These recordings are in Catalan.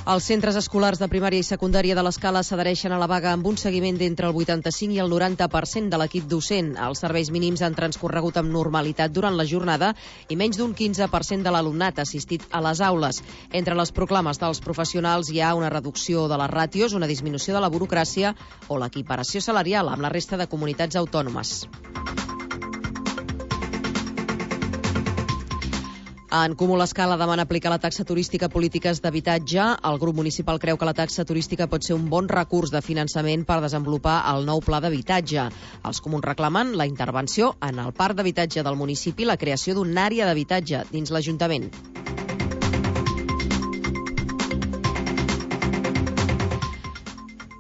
Els centres escolars de primària i secundària de l'Escala s'adhereixen a la vaga amb un seguiment d'entre el 85 i el 90% de l'equip docent. Els serveis mínims han transcorregut amb normalitat durant la jornada i menys d'un 15% de l'alumnat ha assistit a les aules. Entre les proclames dels professionals hi ha una reducció de les ràtios, una disminució de la burocràcia o l'equiparació salarial amb la resta de comunitats autònomes. En Comú l'Escala demana aplicar la taxa turística a polítiques d'habitatge. El grup municipal creu que la taxa turística pot ser un bon recurs de finançament per desenvolupar el nou pla d'habitatge. Els comuns reclamen la intervenció en el parc d'habitatge del municipi i la creació d'una àrea d'habitatge dins l'Ajuntament.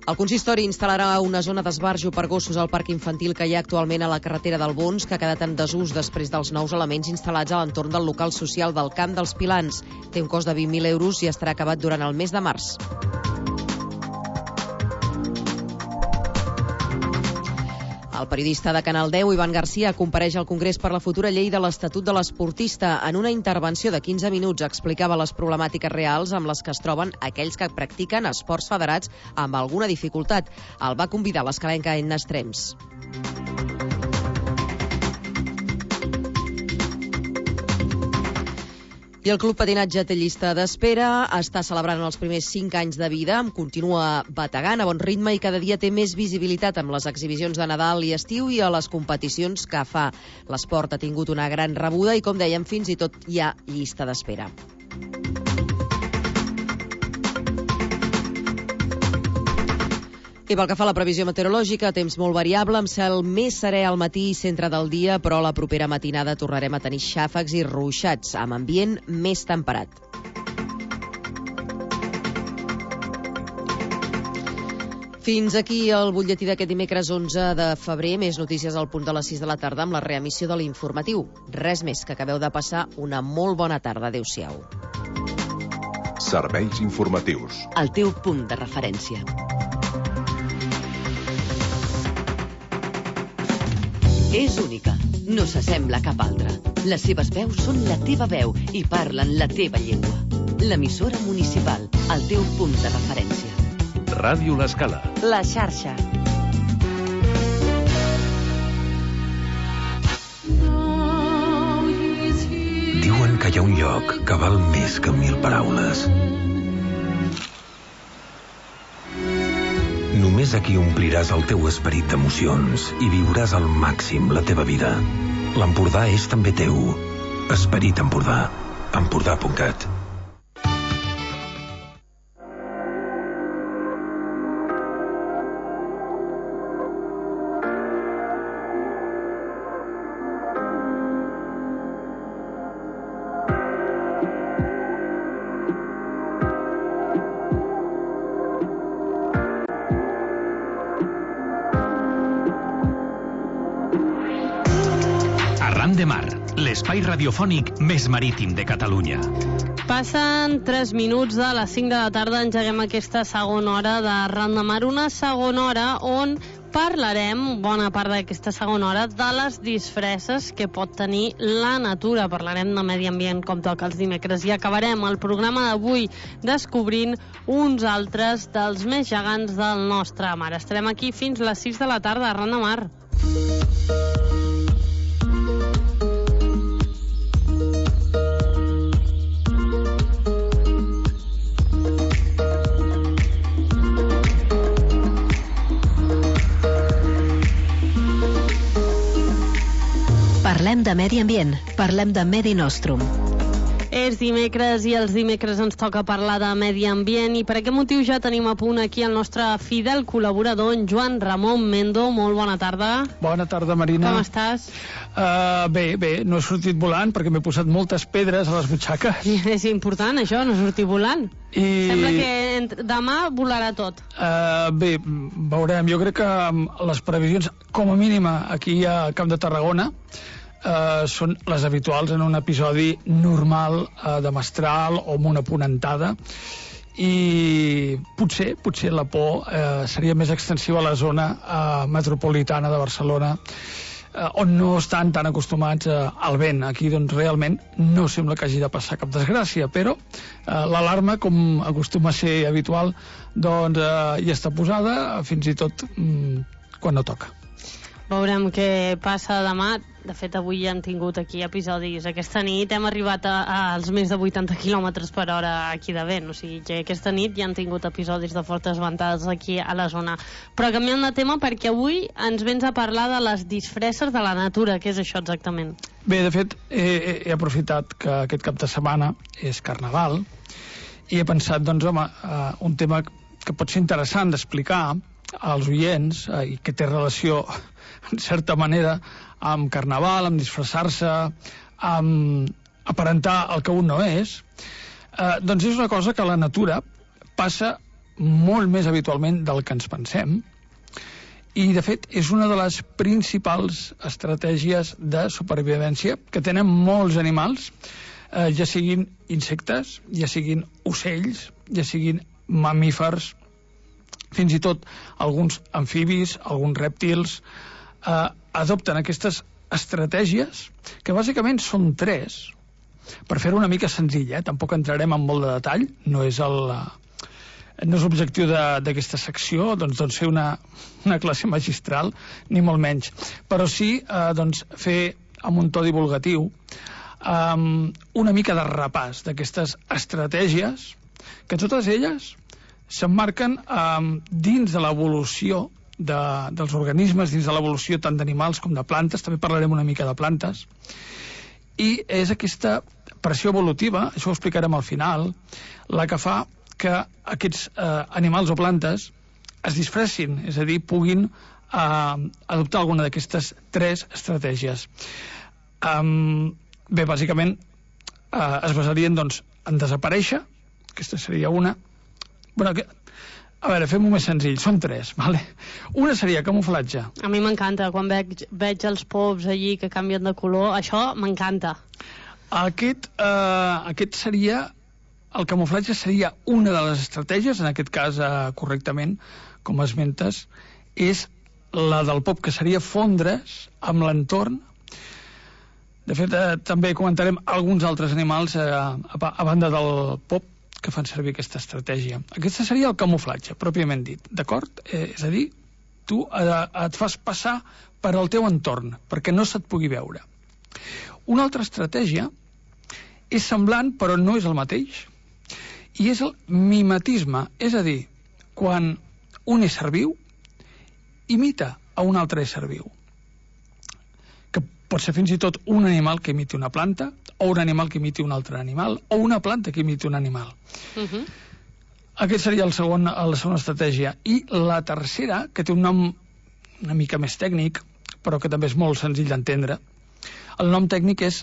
El consistori instal·larà una zona d'esbarjo per gossos al parc infantil que hi ha actualment a la carretera del Bons, que ha quedat en desús després dels nous elements instal·lats a l'entorn del local social del Camp dels Pilans. Té un cost de 20.000 euros i estarà acabat durant el mes de març. El periodista de Canal 10, Ivan Garcia, compareix al Congrés per la futura llei de l'Estatut de l'Esportista. En una intervenció de 15 minuts explicava les problemàtiques reals amb les que es troben aquells que practiquen esports federats amb alguna dificultat. El va convidar l'escalenca Edna Estrems. I el Club Patinatge té llista d'espera, està celebrant els primers 5 anys de vida, continua bategant a bon ritme i cada dia té més visibilitat amb les exhibicions de Nadal i estiu i a les competicions que fa. L'esport ha tingut una gran rebuda i, com dèiem, fins i tot hi ha llista d'espera. I pel que fa a la previsió meteorològica, temps molt variable, amb cel més serè al matí i centre del dia, però la propera matinada tornarem a tenir xàfecs i ruixats, amb ambient més temperat. Fins aquí el butlletí d'aquest dimecres 11 de febrer. Més notícies al punt de les 6 de la tarda amb la reemissió de l'informatiu. Res més, que acabeu de passar una molt bona tarda. Adéu-siau. Serveis informatius. El teu punt de referència. És única, no s'assembla a cap altra. Les seves veus són la teva veu i parlen la teva llengua. L'emissora municipal, el teu punt de referència. Ràdio l'Escala. La xarxa. Diuen que hi ha un lloc que val més que 1000 paraules. Només aquí ompliràs el teu esperit d'emocions i viuràs al màxim la teva vida. L'Empordà és també teu. Esperit Empordà. Empordà.cat. De Mar, l'espai radiofònic més marítim de Catalunya. Passen 3 minuts de les 5 de la tarda, engeguem aquesta segona hora de Ran de Mar, una segona hora on parlarem, bona part d'aquesta segona hora, de les disfresses que pot tenir la natura. Parlarem de medi ambient com toca els dimecres i acabarem el programa d'avui descobrint uns altres dels més gegants del nostre mar. Estarem aquí fins les 6 de la tarda a Ran de Mar. Parlem de medi ambient, parlem de Medi Nostrum. És dimecres i els dimecres ens toca parlar de medi ambient i per aquest motiu ja tenim a punt aquí el nostre fidel col·laborador, en Joan Ramon Mendo. Molt bona tarda. Bona tarda, Marina. Com estàs? Bé, no he sortit volant perquè m'he posat moltes pedres a les butxaques. És important això, no sortir volant. Sembla que demà volarà tot. Bé, veurem. Jo crec que les previsions, com a mínima, aquí al Camp de Tarragona, són les habituals en un episodi normal de mestral o amb una ponentada, i potser la por seria més extensiva a la zona metropolitana de Barcelona, on no estan tan acostumats al vent. Aquí, doncs, realment no sembla que hagi de passar cap desgràcia, però l'alarma, com acostuma a ser habitual, doncs ja està posada, fins i tot quan no toca. Veurem què passa demà. De fet, avui ja hem tingut aquí episodis. Aquesta nit hem arribat als més de 80 km per hora aquí de vent. O sigui que aquesta nit ja hem tingut episodis de fortes ventades aquí a la zona. Però canviant de tema, perquè avui ens vens a parlar de les disfresses de la natura. Què és això exactament? Bé, de fet, he aprofitat que aquest cap de setmana és Carnaval i he pensat, doncs, home, un tema que pot ser interessant d'explicar als oients i que té relació, en certa manera, amb Carnaval, amb disfressar-se, amb aparentar el que un no és, doncs és una cosa que a la natura passa molt més habitualment del que ens pensem i, de fet, és una de les principals estratègies de supervivència que tenen molts animals, ja siguin insectes, ja siguin ocells, ja siguin mamífers, fins i tot alguns amfibis, alguns rèptils, adopten aquestes estratègies, que bàsicament són 3, per fer-ho una mica senzill, tampoc entrarem en molt de detall, no és l'objectiu d'aquesta secció, doncs fer una classe magistral, ni molt menys, però sí doncs, fer amb un to divulgatiu una mica de repàs d'aquestes estratègies, que totes elles s'emmarquen dins de l'evolució dels organismes, dins de l'evolució tant d'animals com de plantes, també parlarem una mica de plantes, i és aquesta pressió evolutiva, això ho explicarem al final, la que fa que aquests animals o plantes es disfressin, és a dir, puguin adoptar alguna d'aquestes 3 estratègies. Bé, bàsicament es basarien, doncs, en desaparèixer, aquesta seria una. Bueno, a veure, fem-ho més senzill, són 3, vale? Una seria camuflatge. A mi m'encanta, quan veig els pops allí que canvien de color, això m'encanta. Aquest seria, el camuflatge seria una de les estratègies, en aquest cas correctament, com esmentes, és la del pop, que seria fondre's amb l'entorn. De fet, també comentarem alguns altres animals a banda del pop que fan servir aquesta estratègia. Aquesta seria el camuflatge, pròpiament dit, d'acord? És a dir, tu et fas passar per al teu entorn, perquè no se't pugui veure. Una altra estratègia és semblant, però no és el mateix, i és el mimetisme, és a dir, quan un ésser viu imita a un altre ésser viu, que pot ser fins i tot un animal que imiti una planta, o un animal que imiti un altre animal, o una planta que imiti un animal. Aquest seria la segona estratègia. I la tercera, que té un nom una mica més tècnic, però que també és molt senzill d'entendre, el nom tècnic és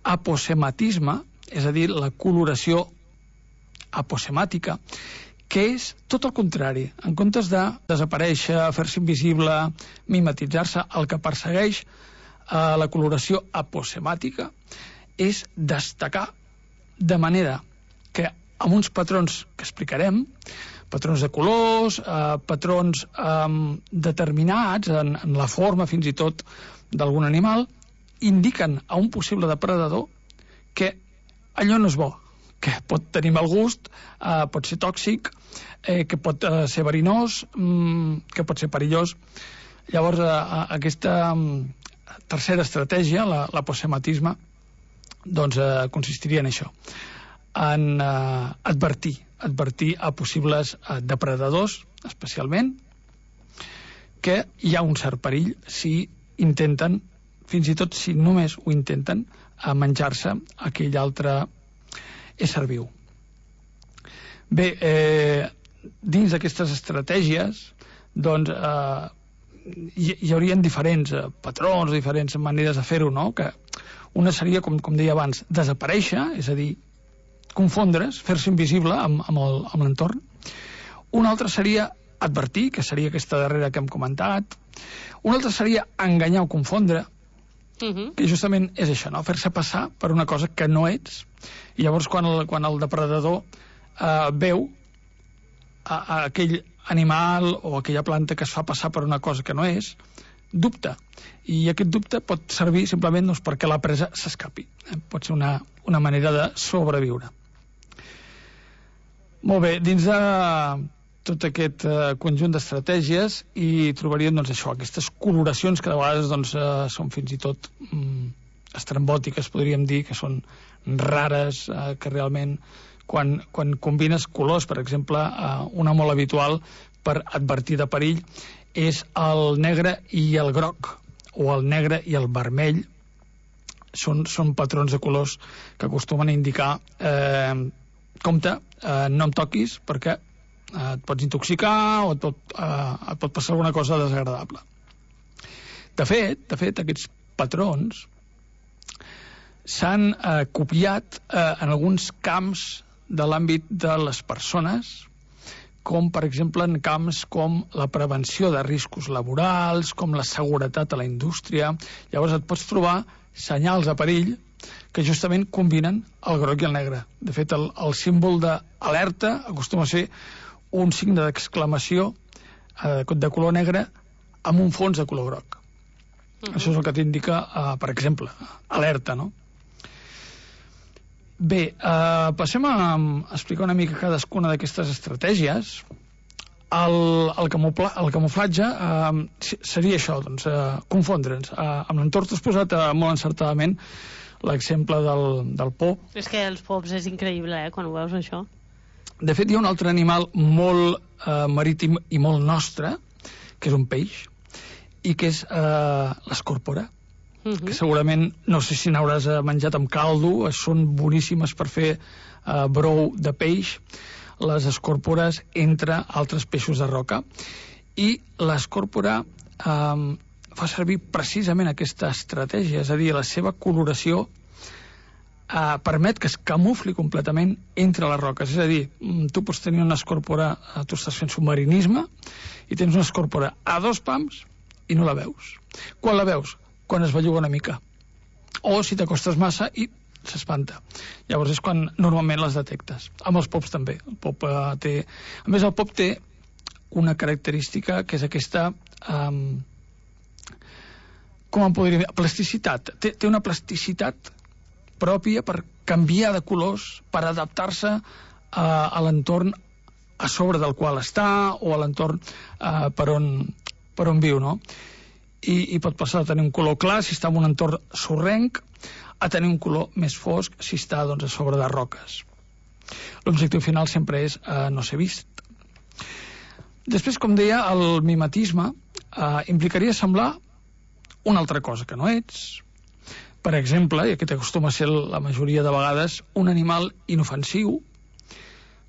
aposematisme, és a dir, la coloració aposemàtica, que és tot el contrari. En comptes de desaparèixer, fer-se invisible, mimetitzar-se, el que persegueix la coloració aposemàtica és destacar de manera que amb uns patrons que explicarem, patrons de colors, patrons determinats en la forma fins i tot d'algun animal, indiquen a un possible depredador que allò no és bo, que pot tenir mal gust, pot ser tòxic, que pot ser verinós, que pot ser perillós. Llavors, aquesta tercera estratègia, l'aposematisme, doncs consistiria en això, en advertir a possibles depredadors, especialment, que hi ha un cert perill si intenten, fins i tot si només ho intenten, menjar-se aquell altre ésser viu. Bé, dins d'aquestes estratègies, doncs, hi haurien diferents patrons, diferents maneres de fer-ho, no? Que una seria, com deia abans, desaparèixer, és a dir, confondre's, fer-se invisible amb l'entorn. Una altra seria advertir, que seria aquesta darrera que hem comentat. Una altra seria enganyar o confondre, que justament és això, no? Fer-se passar per una cosa que no ets. I llavors, quan el depredador veu aquell animal o aquella planta que es fa passar per una cosa que no és, dubte. I aquest dubte pot servir simplement doncs, perquè la presa s'escapi. Pot ser una manera de sobreviure. Molt bé, dins de tot aquest conjunt d'estratègies hi trobaríem doncs, això, aquestes coloracions que de vegades doncs, són fins i tot estrambòtiques, podríem dir, que són rares, que realment quan combines colors, per exemple, una molt habitual per advertir de perill és el negre i el groc, o el negre i el vermell. Són patrons de colors que acostumen a indicar compte, no em toquis perquè et pots intoxicar o et pot passar alguna cosa desagradable. De fet, aquests patrons s'han copiat en alguns camps de l'àmbit de les persones, com per exemple en camps com la prevenció de riscos laborals, com la seguretat a la indústria. Llavors et pots trobar senyals de perill que justament combinen el groc i el negre. De fet, el símbol d'alerta acostuma a ser un signe d'exclamació de color negre amb un fons de color groc. Això és el que t'indica, per exemple, alerta, no? Bé, passem a explicar una mica cadascuna d'aquestes estratègies. El camuflatge seria això, doncs, confondre'ns. Amb l'entorn t'has posat molt encertadament l'exemple del pop. És que els pops és increïble, quan ho veus, això. De fet, hi ha un altre animal molt marítim i molt nostre, que és un peix, i que és l'escòrpora, que segurament, no sé si n'hauràs menjat amb caldo, són boníssimes per fer brou de peix, les escòrpores entre altres peixos de roca. I l'escòrpora fa servir precisament aquesta estratègia, és a dir, la seva coloració permet que es camufli completament entre les roques. És a dir, tu pots tenir una escòrpora, tu estàs fent submarinisme i tens una escòrpora a 2 pams i no la veus. Quan la veus? Quan es belluga una mica. O si t'acostes massa i s'espanta. Llavors és quan normalment les detectes. Amb els pops també. El pop té... A més, el pop té una característica que és aquesta... com en podríem dir? Plasticitat. Té una plasticitat pròpia per canviar de colors, per adaptar-se a l'entorn a sobre del qual està o a l'entorn per on viu, no? I pot passar a tenir un color clar si està en un entorn sorrenc, a tenir un color més fosc si està doncs, a sobre de roques. L'objectiu final sempre és no ser vist. Després, com deia, el mimetisme implicaria semblar una altra cosa que no ets. Per exemple, i aquest acostuma a ser la majoria de vegades, un animal inofensiu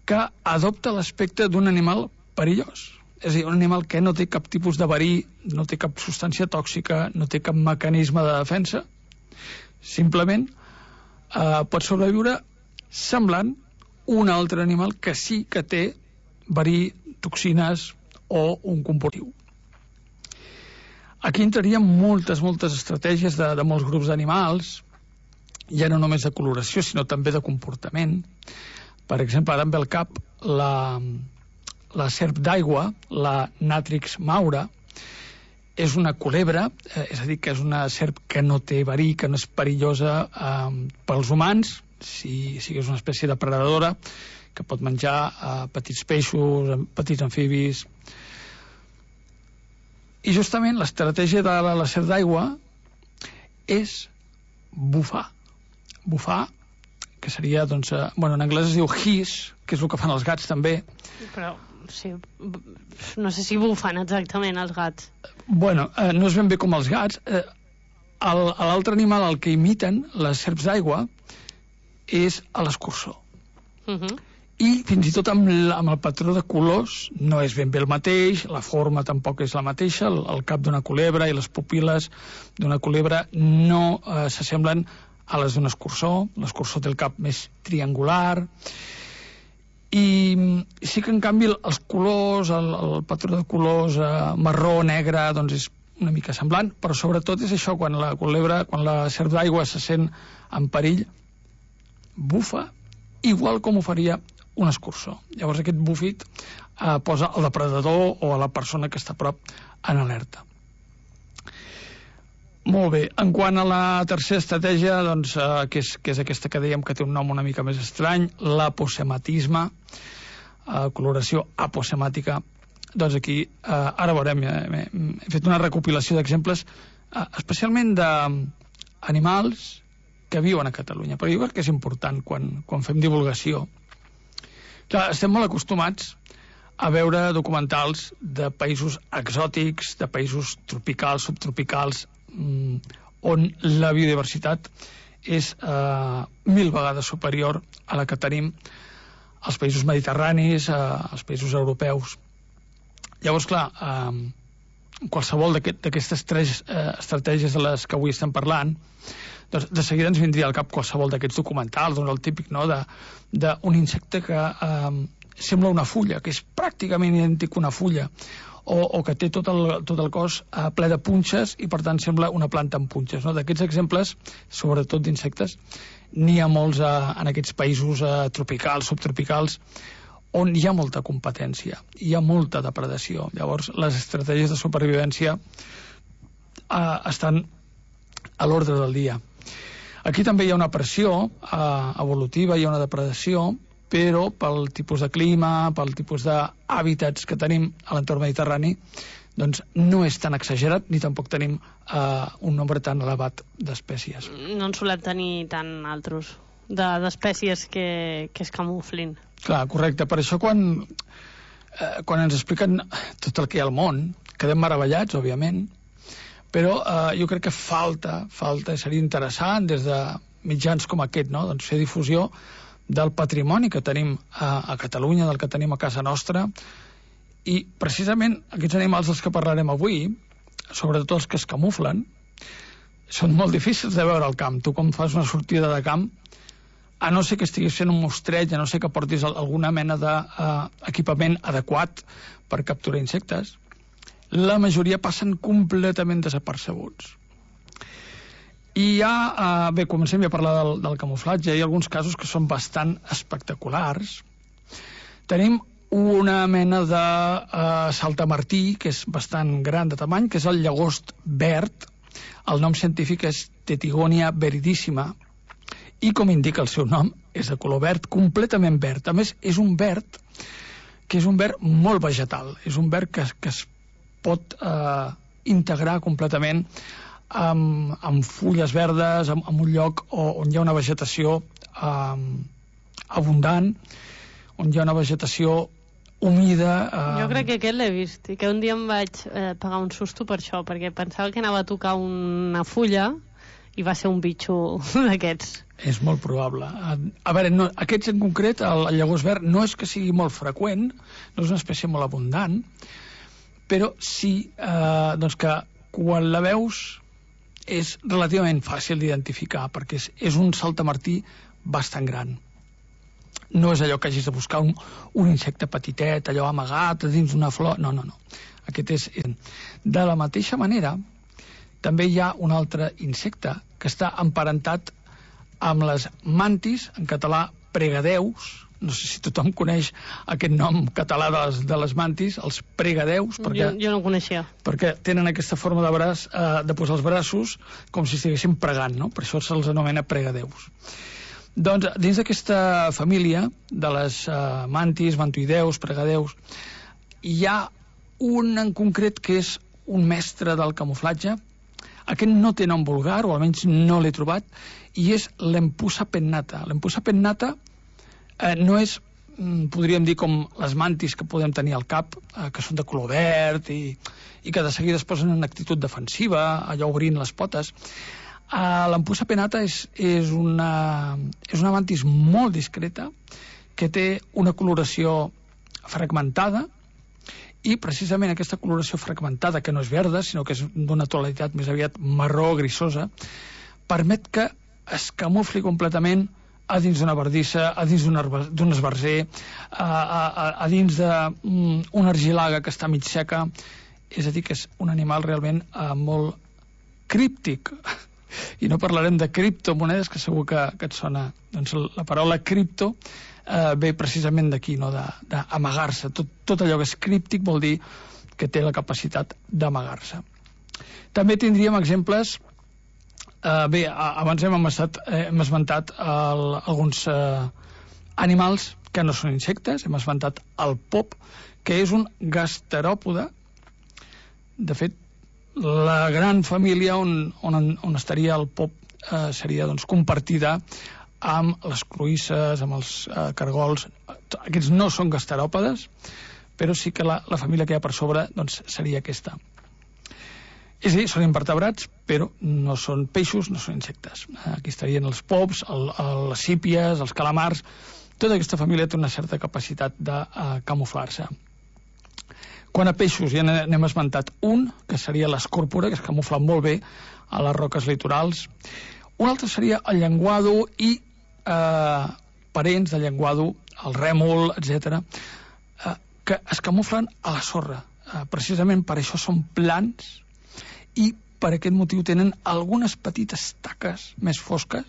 que adopta l'aspecte d'un animal perillós. És a dir, un animal que no té cap tipus de verí, no té cap substància tòxica, no té cap mecanisme de defensa, simplement pot sobreviure semblant un altre animal que sí que té verí, toxines o un comportiu. Aquí entrarien moltes estratègies de molts grups d'animals, ja no només de coloració, sinó també de comportament. Per exemple, ara em ve al cap la serp d'aigua, la Natrix maura, és una culebra, és a dir, que és una serp que no té verí, que no és perillosa pels humans, si és una espècie depredadora, que pot menjar petits peixos, petits amfibis. I justament l'estratègia de la serp d'aigua és bufar. Bufar, que seria, doncs, en anglès es diu hiss, que és el que fan els gats també. Però, sí, no sé si bufen exactament els gats. No és ben bé com els gats. L'altre animal al que imiten les serps d'aigua és a l'escurçó. I fins i tot amb el patró de colors no és ben bé el mateix, la forma tampoc és la mateixa, el cap d'una culebra i les pupil·les d'una culebra no s'assemblen a les d'un escurçó. L'escurçó té el cap més triangular i sí que en canvi els colors, el patró de colors marró, negre, doncs és una mica semblant, però sobretot és això, quan la culebra, quan la serp d'aigua se sent en perill, bufa igual com ho faria un escurçó. Llavors aquest bufit posa el depredador o a la persona que està a prop en alerta. Molt bé. En quant a la tercera estratègia, doncs, que és aquesta que dèiem que té un nom una mica més estrany, l'aposematisme, coloració aposemàtica, doncs aquí, ara veurem, he fet una recopilació d'exemples, especialment d'animals que viuen a Catalunya, però jo crec que és important quan fem divulgació. Clar, estem molt acostumats a veure documentals de països exòtics, de països tropicals, subtropicals, on la biodiversitat és 1000 vegades superior a la que tenim als països mediterranis, als països europeus. Llavors, clar, qualsevol d'aquestes 3 estratègies de les que avui estem parlant, doncs de seguida ens vindria al cap qualsevol d'aquests documentals, doncs el típic, no?, d'un insecte que sembla una fulla, que és pràcticament idèntic a una fulla, o que té tot el cos ple de punxes i per tant sembla una planta amb punxes, no? D'aquests exemples, sobretot d'insectes, n'hi ha molts en aquests països tropicals, subtropicals, on hi ha molta competència, hi ha molta depredació. Llavors les estratègies de supervivència estan a l'ordre del dia. Aquí també hi ha una pressió evolutiva, hi ha una depredació, però pel tipus de clima, pel tipus d'hàbitats que tenim a l'entorn mediterrani, doncs no és tan exagerat ni tampoc tenim un nombre tan elevat d'espècies. No en solem tenir tan altres d'espècies que es camuflin. Clar, correcte. Per això quan ens expliquen tot el que hi ha al món, quedem meravellats, òbviament, però jo crec que falta, seria interessant des de mitjans com aquest, no?, doncs fer difusió del patrimoni que tenim a Catalunya, del que tenim a casa nostra, i precisament aquests animals dels que parlarem avui, sobretot els que es camuflen, són molt difícils de veure al camp. Tu quan fas una sortida de camp, a no ser que estiguis fent un mostreig, a no ser que portis alguna mena d'equipament adequat per capturar insectes, la majoria passen completament desapercebuts. I ja, bé, comencem a parlar del camuflatge. Hi ha alguns casos que són bastant espectaculars. Tenim una mena de saltamartí, que és bastant gran de tamany, que és el llagost verd. El nom científic és Tetigonia viridissima, i com indica el seu nom, és de color verd, completament verd. A més, és un verd que és un verd molt vegetal. És un verd que es pot integrar completament amb fulles verdes, amb un lloc on hi ha una vegetació abundant, on hi ha una vegetació humida. Jo crec que aquest l'he vist i que un dia em vaig pegar un susto per això, perquè pensava que anava a tocar una fulla i va ser un bitxo d'aquests. És molt probable. A veure, aquests en concret, el llagost verd, no és que sigui molt freqüent, no és una espècie molt abundant, però sí doncs que quan la veus és relativament fàcil d'identificar, perquè és un saltamartí bastant gran. No és allò que hagis de buscar un insecte petitet, allò amagat dins d'una flor, no. Aquest és... De la mateixa manera, també hi ha un altre insecte que està emparentat amb les mantis, en català pregadeus. No sé si tothom coneix aquest nom català de les mantis, els pregadeus. Jo no ho coneixia. Perquè tenen aquesta forma de braç, de posar els braços com si estiguessin pregant, no? Per això se'ls anomena pregadeus. Doncs dins d'aquesta família de les mantis, mantoideus, pregadeus, hi ha un en concret que és un mestre del camuflatge. Aquest no té nom vulgar, o almenys no l'he trobat, i és l'empusa pennata. L'empusa pennata no és, podríem dir, com les mantis que podem tenir al cap, que són de color verd i que de seguida es posen en actitud defensiva, allò obrint les potes. L'empusa pennata és una mantis molt discreta que té una coloració fragmentada, i precisament aquesta coloració fragmentada, que no és verda, sinó que és d'una tonalitat més aviat marró grisosa, permet que es camufli completament a dins d'una bardissa, a dins d'un esbarzer, a dins d'una argilaga que està mig seca. És a dir, que és un animal realment molt críptic. I no parlarem de criptomonedes, que segur que et sona. Doncs la paraula cripto ve precisament d'aquí, no? D'amagar-se. Tot allò que és críptic vol dir que té la capacitat d'amagar-se. També tindríem exemples Bé, abans hem esmentat alguns animals que no són insectes. Hem esmentat el pop, que és un gasteròpode. De fet, la gran família on estaria el pop seria doncs, compartida amb les cloïsses, amb els cargols. Aquests no són gasteròpodes, però sí que la família que hi ha per sobre doncs, seria aquesta. És a dir, són invertebrats, però no són peixos, no són insectes. Aquí estarien els pops, les sípies, els calamars. Tota aquesta família té una certa capacitat de camuflar-se. Quant a peixos, ja n'hem esmentat un, que seria l'escòrpora, que es camufla molt bé a les roques litorals. Un altre seria el llenguado i parents del llenguado, el rèmol, etc., que es camuflen a la sorra. Precisament per això són plans i per aquest motiu tenen algunes petites taques més fosques,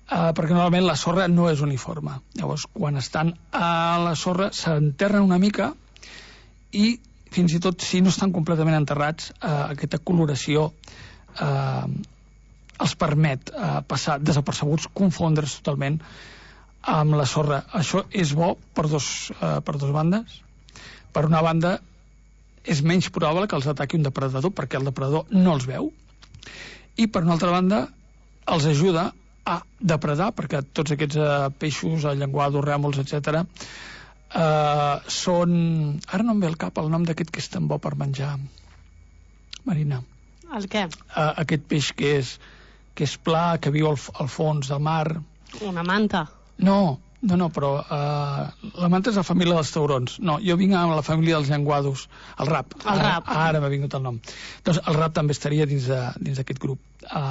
perquè normalment la sorra no és uniforme. Llavors, quan estan a la sorra, s'enterren una mica i fins i tot si no estan completament enterrats, aquesta coloració els permet passar desapercebuts, confondre's totalment amb la sorra. Això és bo per dos bandes. Per una banda, és menys probable que els ataqui un depredador perquè el depredador no els veu, i per una altra banda els ajuda a depredar, perquè tots aquests peixos, llenguados, rèmols, etc., són... Ara no em ve al cap el nom d'aquest que és tan bo per menjar, Marina. El què? Aquest peix que és pla, que viu al fons del mar. Una manta? No, però la manta és la família dels taurons. No, jo vinc a la família dels llenguados, el rap. Ara m'ha vingut el nom. Doncs el rap també estaria dins d'aquest grup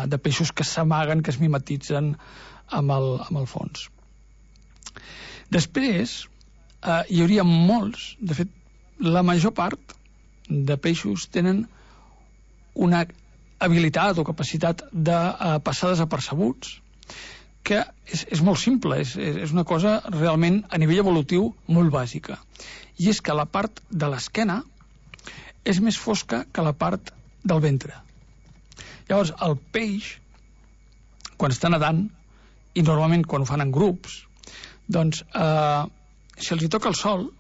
de peixos que s'amaguen, que es mimetitzen amb el fons. Després hi hauria molts, de fet la major part de peixos tenen una habilitat o capacitat de passar desapercebuts, que és molt simple, és una cosa realment a nivell evolutiu molt bàsica, i és que la part de l'esquena és més fosca que la part del ventre. Llavors el peix, quan està nedant, i normalment quan ho fan en grups, doncs si els hi toca el sol,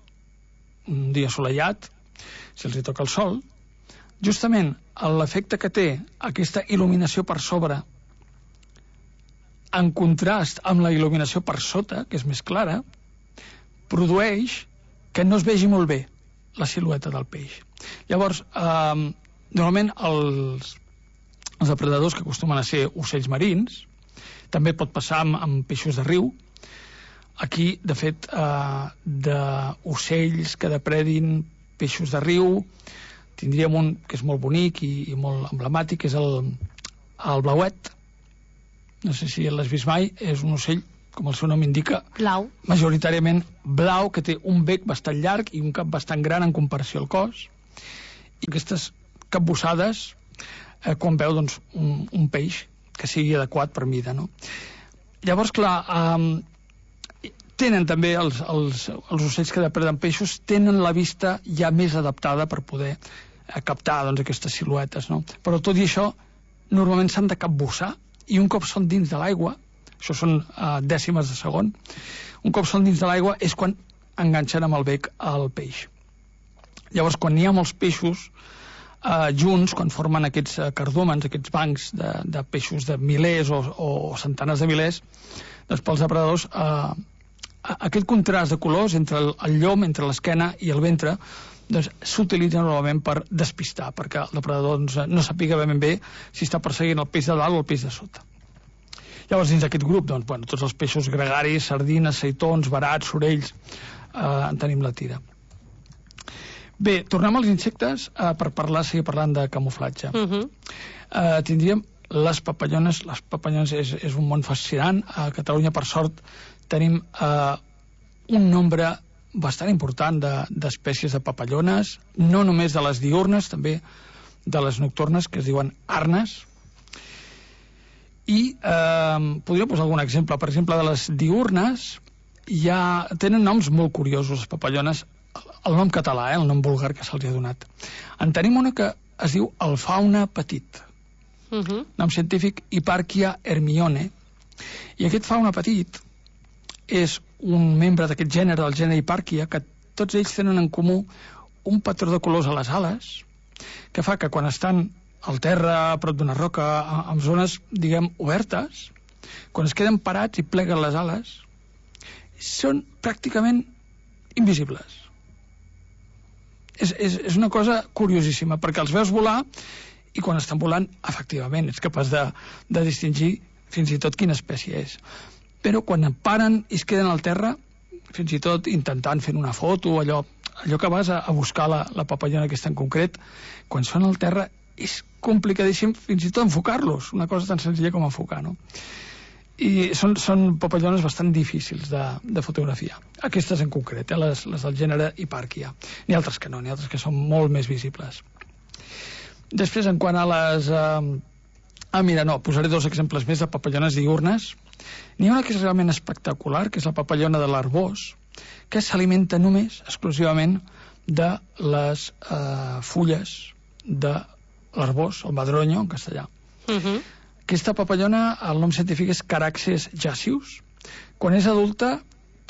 un dia assolellat, si els hi toca el sol, justament l'efecte que té aquesta il·luminació per sobre en contrast amb la il·luminació per sota, que és més clara, produeix que no es vegi molt bé la silueta del peix. Llavors, normalment els depredadors, que acostumen a ser ocells marins, també pot passar amb peixos de riu. Aquí, de fet, d'ocells que depredin peixos de riu, tindríem un que és molt bonic i molt emblemàtic, que és el blauet. No sé si l'has vist mai, és un ocell, com el seu nom indica, blau, majoritàriament blau, que té un bec bastant llarg i un cap bastant gran en comparació al cos, i aquestes capbussades quan veu doncs, un peix que sigui adequat per mida, no? Llavors, clar, tenen també els ocells que depreden peixos, tenen la vista ja més adaptada per poder captar doncs, aquestes siluetes, no? Però tot i això, normalment s'han de capbussar, i un cop són dins de l'aigua, això són dècimes de segon, un cop són dins de l'aigua és quan enganxen amb el bec el peix. Llavors, quan hi ha molts peixos junts, quan formen aquests cardòmens, aquests bancs de peixos de milers o centenars de milers, doncs pels depredadors aquest contrast de colors entre el llom, entre l'esquena i el ventre, doncs s'utilitza normalment per despistar, perquè el depredador no sàpiga ben bé si està perseguint el peix de dalt o el peix de sota. Llavors, dins d'aquest grup, doncs, tots els peixos gregaris, sardines, seitons, verats, sorells, en tenim la tira. Bé, tornem als insectes per seguir parlant de camuflatge. Tindríem les papallones. Les papallones és un món fascinant. A Catalunya, per sort, tenim un nombre bastant important d'espècies de papallones, no només de les diurnes, també de les nocturnes, que es diuen arnes. I podria posar algun exemple. Per exemple, de les diurnes ja tenen noms molt curiosos, les papallones, el nom català, el nom vulgar que se'ls ha donat. En tenim una que es diu el fauna petit. nom científic Hipparchia hermione, i aquest fauna petit és un membre d'aquest gènere, del gènere Hipparchia, que tots ells tenen en comú un patró de colors a les ales, que fa que quan estan al terra, a prop d'una roca, en zones, diguem, obertes, quan es queden parats i pleguen les ales, són pràcticament invisibles. És una cosa curiosíssima, perquè els veus volar i quan estan volant, efectivament, ets capaç de distingir fins i tot quina espècie és. Però quan paren i es queden al terra, fins i tot intentant fer una foto, allò que vas a buscar la papallona aquesta en concret, quan són al terra és complicadíssim fins i tot enfocar-los, una cosa tan senzilla com enfocar, no? I són papallones bastant difícils de fotografiar. Aquestes en concret, les del gènere Hipparchia. N'hi ha altres que no, n'hi ha altres que són molt més visibles. Després, en quant a les... posaré dos exemples més de papallones diürnes. N'hi ha una que és realment espectacular, que és la papallona de l'arbós, que s'alimenta només, exclusivament, de les fulles de l'arbós, el madroño, en castellà. Aquesta papallona, el nom científic és Caraxes jacius. Quan és adulta,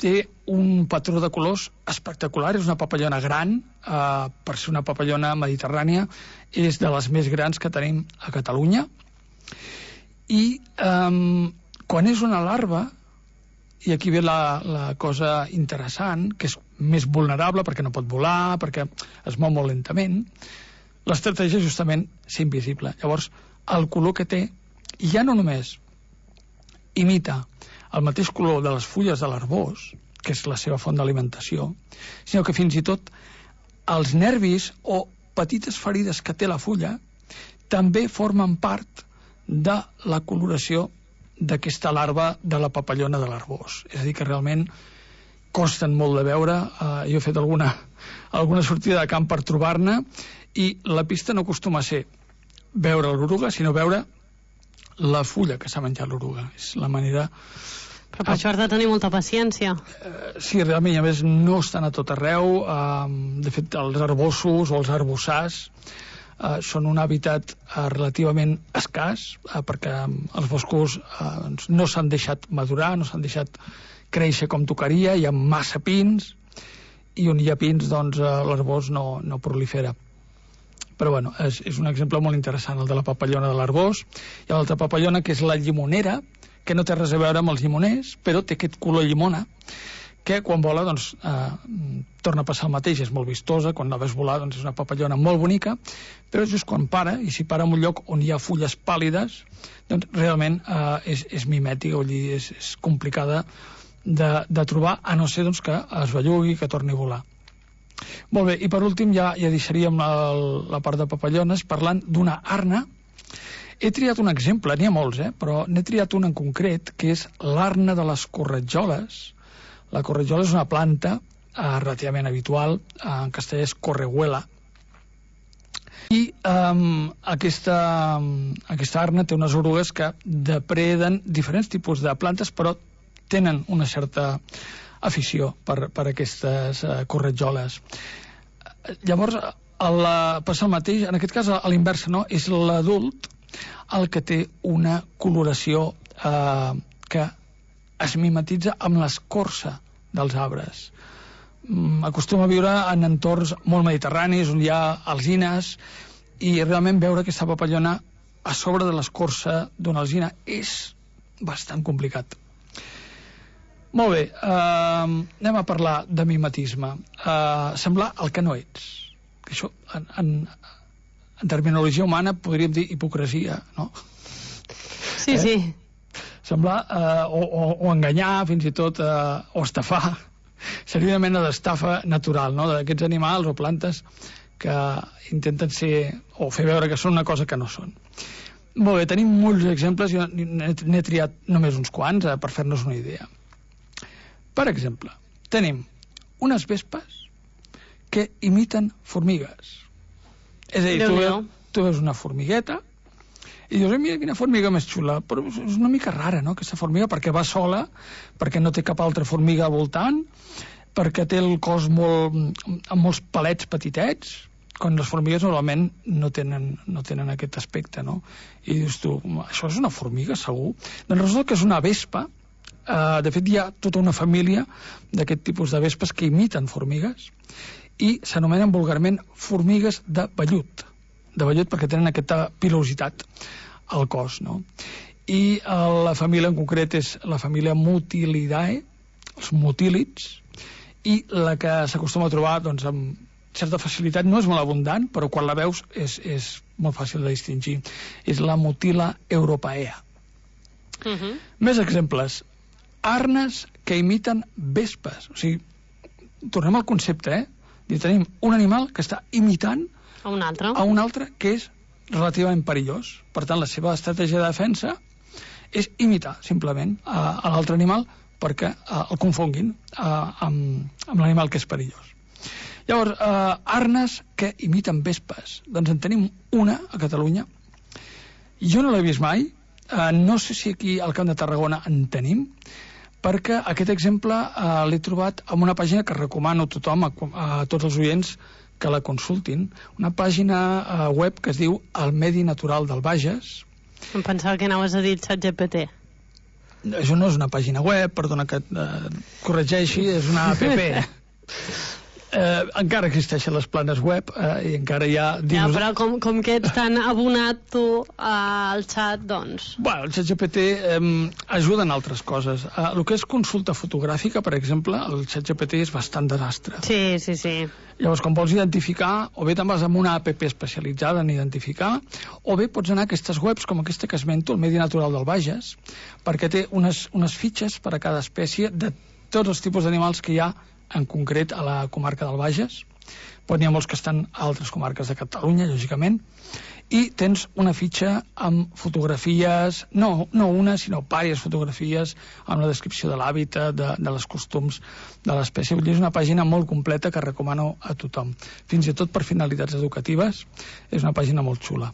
té un patró de colors espectacular. És una papallona gran, per ser una papallona mediterrània, és de les més grans que tenim a Catalunya. I quan és una larva, i aquí ve la cosa interessant, que és més vulnerable perquè no pot volar, perquè es mou molt lentament, l'estratègia és justament ser invisible. Llavors, el color que té ja no només imita el mateix color de les fulles de l'arbós, que és la seva font d'alimentació, sinó que fins i tot els nervis o petites ferides que té la fulla també formen part de la coloració d'aquesta larva de la papallona de l'arbós. És a dir, que realment costen molt de veure. Jo he fet alguna sortida de camp per trobar-ne, i la pista no acostuma a ser veure l'oruga, sinó veure la fulla que s'ha menjat l'oruga. És la manera... Però per això has de tenir molta paciència. Sí, realment, i a més no estan a tot arreu. De fet, els arbossos o els arbossars són un hàbitat relativament escàs, perquè els boscos no s'han deixat madurar, no s'han deixat créixer com tocaria, hi ha massa pins, i on hi ha pins, doncs, l'arbós no prolifera. Però bueno, és un exemple molt interessant, el de la papallona de l'arbós. Hi ha l'altra papallona, que és la llimonera, que no té res a veure amb els llimoners, però té aquest color llimona, que quan vola, doncs, torna a passar el mateix, és molt vistosa. Quan la veus volar, doncs és una papallona molt bonica, però just quan para, i si para en un lloc on hi ha fulles pàl·lides, doncs realment és mimètica, vull dir, és complicada de trobar, a no ser doncs, que es bellugui, que torni a volar. Molt bé, i per últim ja deixaríem la part de papallones parlant d'una arna. He triat un exemple, n'hi ha molts, però n'he triat un en concret, que és l'arna de les corretjoles. La corretjola és una planta relativament habitual, en castellà és correguela, i aquesta arna té unes orugues que depreden diferents tipus de plantes, però tenen una certa afició per aquestes corretjoles. Llavors, passa el mateix, en aquest cas a l'inversa, no? És l'adult el que té una coloració que es mimetitza amb l'escorça dels arbres. Acostuma a viure en entorns molt mediterranis, on hi ha alzines, i realment veure aquesta papallona a sobre de l'escorça d'una alzina és bastant complicat. Molt bé, anem a parlar de mimetisme. Semblar el que no ets. Això, en terminologia humana, podríem dir hipocresia, no? Sí, sí. Semblar, o enganyar, fins i tot, o estafar. Seria una mena d'estafa natural, no?, d'aquests animals o plantes que intenten ser, o fer veure que són una cosa que no són. Molt bé, tenim molts exemples, jo n'he triat només uns quants per fer-nos una idea. Per exemple, tenim unes vespes que imiten formigues. És a dir, tu veus una formigueta i dius, mira quina formiga més xula, però és una mica rara, no?, aquesta formiga, perquè va sola, perquè no té cap altra formiga voltant, perquè té el cos amb molts palets petitets, quan les formigues normalment no tenen aquest aspecte, no? I dius tu, això és una formiga, segur? Doncs resulta que és una vespa. De fet, hi ha tota una família d'aquest tipus de vespes que imiten formigues i s'anomenen vulgarment formigues de vellut perquè tenen aquesta pilositat al cos, no? I la família en concret és la família Mutilidae, els mutílids, i la que s'acostuma a trobar doncs, amb certa facilitat, no és molt abundant, però quan la veus és molt fàcil de distingir. És la Mutila europaea. Més exemples. Arnes que imiten vespes. O sigui, tornem al concepte, I tenim un animal que està imitant a un altre que és relativament perillós. Per tant, la seva estratègia de defensa és imitar, simplement, a l'altre animal perquè el confonguin amb l'animal que és perillós. Llavors, arnes que imiten vespes. Doncs en tenim una a Catalunya. Jo no l'he vist mai. No sé si aquí al Camp de Tarragona en tenim, perquè aquest exemple l'he trobat en una pàgina que recomano a tothom, a tots els oients, que la consultin. Una pàgina web que es diu El Medi Natural del Bages. Em pensava que anaves a dir ChatGPT. Això no és una pàgina web, perdona que et corregeixi, és una app. Encara existeixen les planes web i encara hi ha... Ja, però com que ets tan abonat tu al xat, doncs... Bueno, el ChatGPT ajuda en altres coses. El que és consulta fotogràfica, per exemple, el ChatGPT és bastant desastre. Sí. Llavors, quan vols identificar, o bé te'n vas amb una app especialitzada en identificar, o bé pots anar a aquestes webs com aquesta que esmento, el Medi Natural del Bages, perquè té unes fitxes per a cada espècie de tots els tipus d'animals que hi ha en concret a la comarca del Bages. Però n'hi ha molts que estan a altres comarques de Catalunya, lògicament, i tens una fitxa amb fotografies, no una, sinó diverses fotografies amb la descripció de l'hàbitat, de les costums de l'espècie. Vull dir, és una pàgina molt completa que recomano a tothom. Fins i tot per finalitats educatives, és una pàgina molt xula.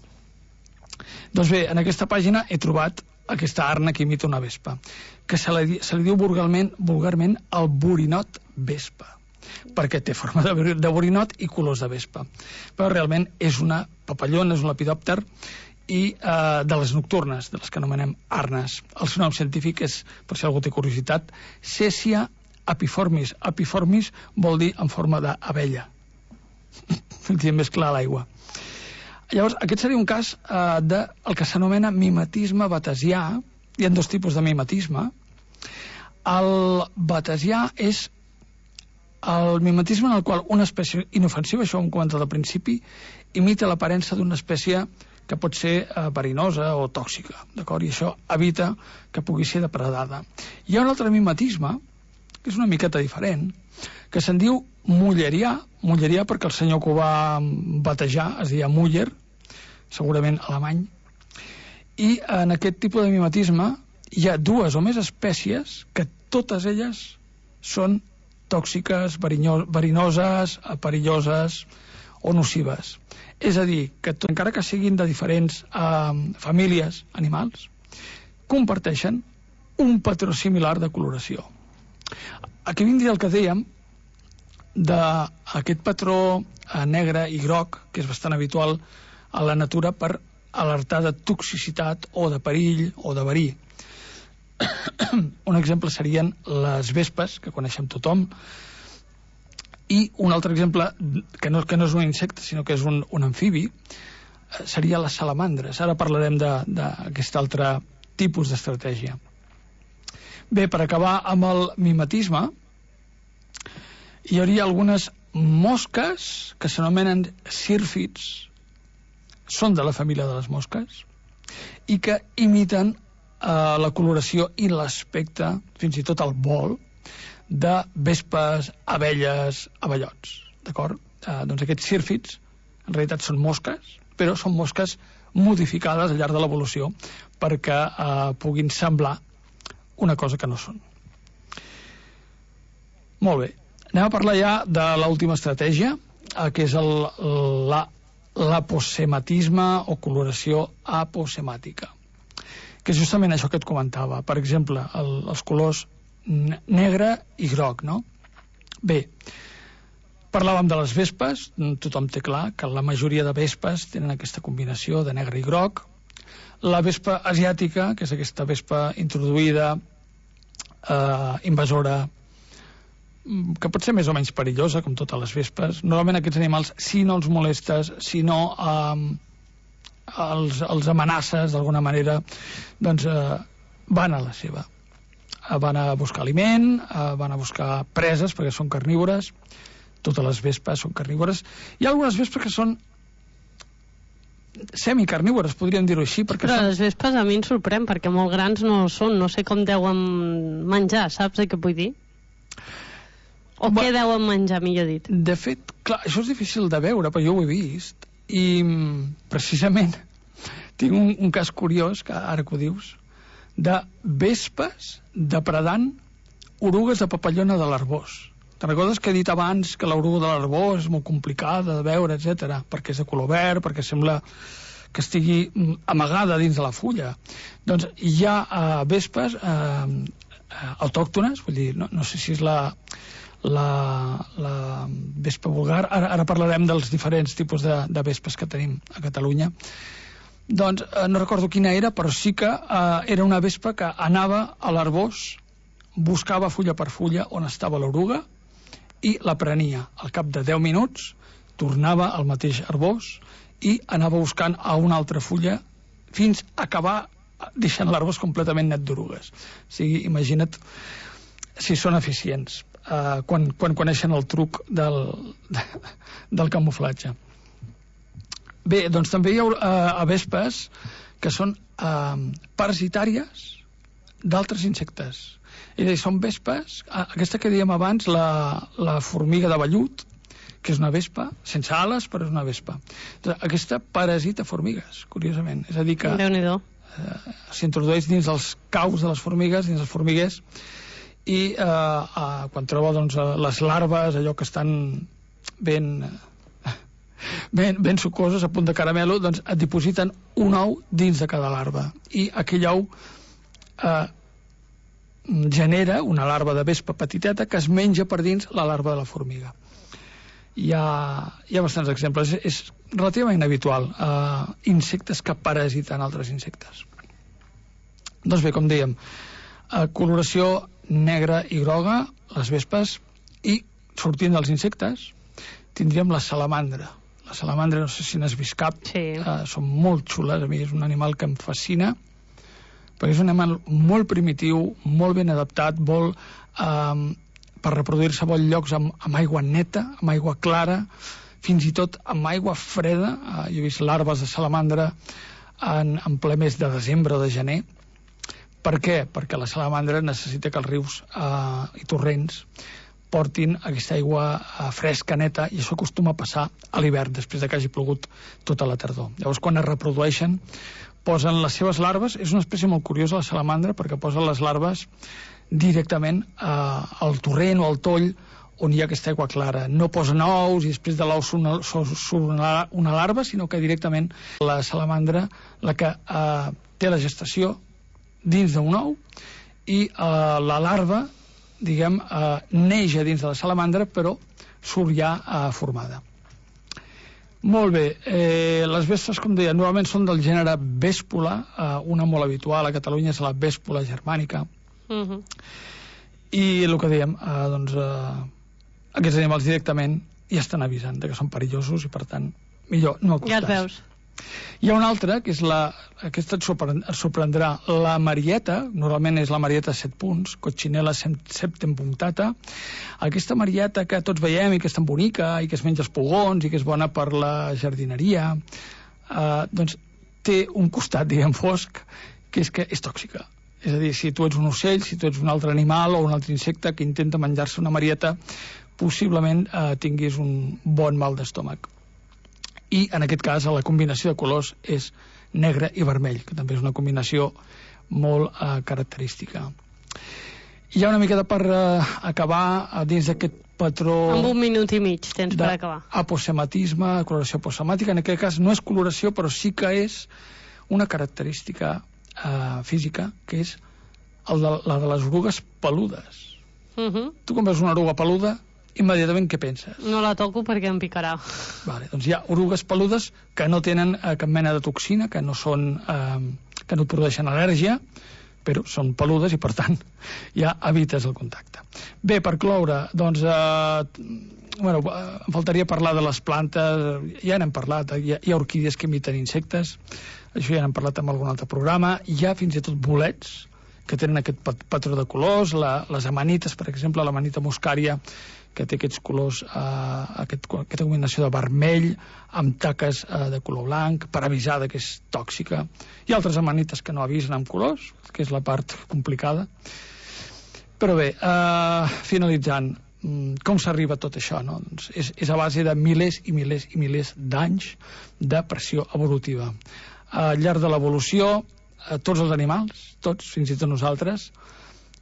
Doncs bé, en aquesta pàgina he trobat aquesta arna que imita una vespa, que se li diu vulgarment el borinot vespa, perquè té forma de borinot i colors de vespa. Però realment és una papallona, és un lepidòpter, i de les nocturnes, de les que anomenem arnes. El seu nom científic és, per si algú té curiositat, Cèsia apiformis. Apiformis vol dir en forma d'abella. Més clar a l'aigua. Llavors, aquest seria un cas del que s'anomena mimetisme batesià. Hi ha dos tipus de mimetisme. El batesià és el mimetisme en el qual una espècie inofensiva, això ho hem comentat al principi, imita l'aparença d'una espècie que pot ser verinosa o tòxica, d'acord? I això evita que pugui ser depredada. Hi ha un altre mimetisme, que és una miqueta diferent, que se'n diu mullerià perquè el senyor que ho va batejar es deia Muller, segurament alemany, i en aquest tipus de mimetisme hi ha dues o més espècies que totes elles són tòxiques, verinoses, perilloses o nocives. És a dir, que encara que siguin de diferents famílies animals, comparteixen un patró similar de coloració. Aquí vindria el que dèiem d'aquest patró negre i groc, que és bastant habitual a la natura per alertar de toxicitat o de perill o de verí. Un exemple serien les vespes, que coneixem tothom, i un altre exemple, que no és un insecte, sinó que és un amfibi, seria les salamandres. Ara parlarem d'aquest altre tipus d'estratègia. Bé, per acabar amb el mimetisme, hi hauria algunes mosques que s'anomenen sírfids, són de la família de les mosques, i que imiten la coloració i l'aspecte, fins i tot el vol, de vespes, abelles, abellots. D'acord? Doncs aquests sírfids, en realitat són mosques, però són mosques modificades al llarg de l'evolució perquè puguin semblar una cosa que no són. Molt bé. Anem a parlar ja de l'última estratègia, que és l'aposematisme o coloració aposemàtica, que és justament això que et comentava. Per exemple, els colors negre i groc, no? Bé, Parlàvem de les vespes, tothom té clar que la majoria de vespes tenen aquesta combinació de negre i groc. La vespa asiàtica, que és aquesta vespa introduïda, invasora, que pot ser més o menys perillosa, com totes les vespes. Normalment aquests animals, si no els molestes, si no els amenaces d'alguna manera, doncs van a la seva. Van a buscar aliment, van a buscar preses, perquè són carnívores. Totes les vespes són carnívores. Hi ha algunes vespes que són semicarnívores, podríem dir-ho així. Però les vespes a mi em sorprèn, perquè molt grans no són, no sé com deuen menjar, saps què vull dir? O què deuen menjar, millor dit. De fet, clar, això és difícil de veure, però jo ho he vist, i precisament tinc un cas curiós, que ara que ho dius, de vespes depredant orugues de papallona de l'Arboç. Te'n recordes que he dit abans que l'oruga de l'Arboç és molt complicada de veure, etc, perquè és de color verd, perquè sembla que estigui amagada dins de la fulla? Doncs hi ha vespes autòctones, vull dir, no sé si és la vespa vulgar, ara parlarem dels diferents tipus de vespes que tenim a Catalunya. Doncs no recordo quina era, però sí que era una vespa que anava a l'Arboç, buscava fulla per fulla on estava l'oruga i la prenia. Al cap de 10 minuts tornava al mateix Arboç i anava buscant a una altra fulla fins a acabar deixant l'Arboç completament net d'orugues. O sigui, imagina't si són eficients quan coneixen el truc del camuflatge. Bé, doncs també hi ha vespes que són parasitàries d'altres insectes. És a dir, són vespes, aquesta que dèiem abans, la formiga de vellut, que és una vespa, sense ales, però és una vespa. Aquesta parasita formigues, curiosament. És a dir, que s'introdueix dins dels caus de les formigues, dins els formiguers, i quan troba doncs, les larves, allò que estan ben sucoses, a punt de caramelo, doncs et dipositen un ou dins de cada larva. I aquell ou genera una larva de vespa petiteta que es menja per dins la larva de la formiga. Hi ha bastants exemples. És relativament habitual insectes que parasiten altres insectes. Doncs bé, com dèiem, coloració negra i groga, les vespes, i sortint dels insectes tindríem la salamandra. La salamandra, no sé si n'has vist cap, sí. Són molt xules, a mi és un animal que em fascina, perquè és un animal molt primitiu, molt ben adaptat, per reproduir-se a llocs amb aigua neta, amb aigua clara, fins i tot amb aigua freda. Jo he vist larves de salamandra en ple mes de desembre o de gener. Per què? Perquè la salamandra necessita que els rius i torrents portin aquesta aigua fresca, neta, i això acostuma a passar a l'hivern, després que hagi plogut tota la tardor. Llavors, quan es reprodueixen, posen les seves larves. És una espècie molt curiosa, la salamandra, perquè posen les larves directament al torrent o al toll on hi ha aquesta aigua clara. No posen ous i després de l'ou surt una larva, sinó que directament la salamandra la que té la gestació dins d'un ou i la larva, diguem, neix a dins de la salamandra, però surt ja formada. Molt bé, les vespes, com deia, normalment són del gènere Vèspula, una molt habitual a Catalunya és la Vèspula germànica. I el que dèiem, doncs, aquests animals directament ja estan avisant que són perillosos i, per tant, millor no acostar-se. Ja et veus. Hi ha una altra, que és aquesta et sorprendrà, la marieta. Normalment és la marieta 7 punts, Coccinella septempunctata. Aquesta marieta que tots veiem i que és tan bonica i que es menja els pugons i que és bona per la jardineria, doncs té un costat, diguem, fosc, que és tòxica. És a dir, si tu ets un ocell, si tu ets un altre animal o un altre insecte que intenta menjar-se una marieta, possiblement tinguis un bon mal d'estómac. I en aquest cas la combinació de colors és negre i vermell, que també és una combinació molt característica. Hi ha una mica per acabar dins d'aquest patró... Amb 1 minut i mig tens per acabar. Aposematisme, coloració aposemàtica. En aquest cas no és coloració, però sí que és una característica física, que és la de les orugues peludes. Tu quan veus una oruga peluda immediatament què penses? No la toco perquè em picarà. Vale, doncs hi ha orugues peludes que no tenen cap mena de toxina, que no et produeixen al·lèrgia, però són peludes i, per tant, ja evites el contacte. Bé, per cloure, doncs, em faltaria parlar de les plantes, ja n'hem parlat, hi ha orquídies que imiten insectes, això ja n'hem parlat en algun altre programa, hi ha fins i tot bolets que tenen aquest patró de colors, les amanites, per exemple, l'amanita muscària, que té aquests colors, aquesta combinació de vermell amb taques de color blanc, per avisar que és tòxica. Hi ha altres amanites que no avisen amb colors, que és la part complicada. Però bé, finalitzant, com s'arriba a tot això, no? Doncs és a base de milers i milers i milers d'anys de pressió evolutiva. Al llarg de l'evolució, tots els animals, tots, fins i tot nosaltres,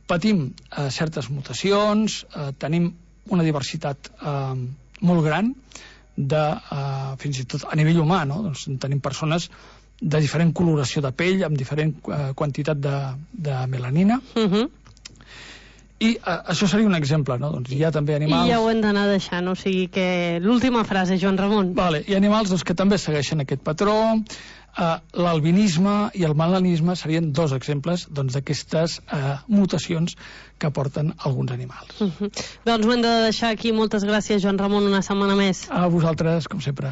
patim certes mutacions, tenim una diversitat molt gran fins i tot a nivell humà, no? Doncs tenim persones de diferent coloració de pell, amb diferent quantitat de melanina, i això seria un exemple, no? Doncs hi ha també animals... I ja ho hem d'anar deixant, o sigui que l'última frase, Joan Ramon. Vale, hi ha animals doncs, que també segueixen aquest patró. L'albinisme i el melanisme serien dos exemples d'aquestes mutacions que porten alguns animals. Doncs ho hem de deixar aquí. Moltes gràcies, Joan Ramon, una setmana més. A vosaltres, com sempre.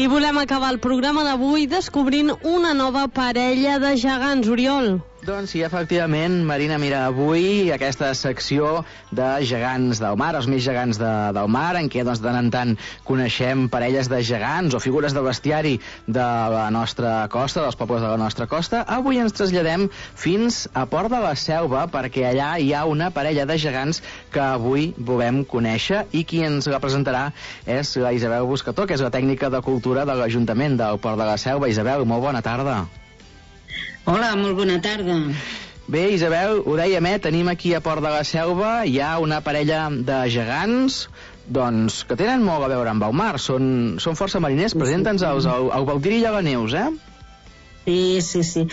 I volem acabar el programa d'avui descobrint una nova parella de gegants, Oriol. Doncs sí, efectivament, Marina, mira, avui aquesta secció de gegants del mar, els més gegants del mar, en què doncs, de tant en tant coneixem parelles de gegants o figures de bestiari de la nostra costa, dels pobles de la nostra costa. Avui ens traslladem fins a Port de la Selva, perquè allà hi ha una parella de gegants que avui volem conèixer, i qui ens la presentarà és la Isabel Buscató, que és la tècnica de cultura de l'Ajuntament del Port de la Selva. Isabel, molt bona tarda. Hola, molt bona tarda. Bé, Isabel, ho dèiem, tenim aquí a Port de la Selva, hi ha una parella de gegants doncs, que tenen molt a veure amb el mar, són força mariners. Presenta'ns-els, el Baldiri i la Neus, Sí.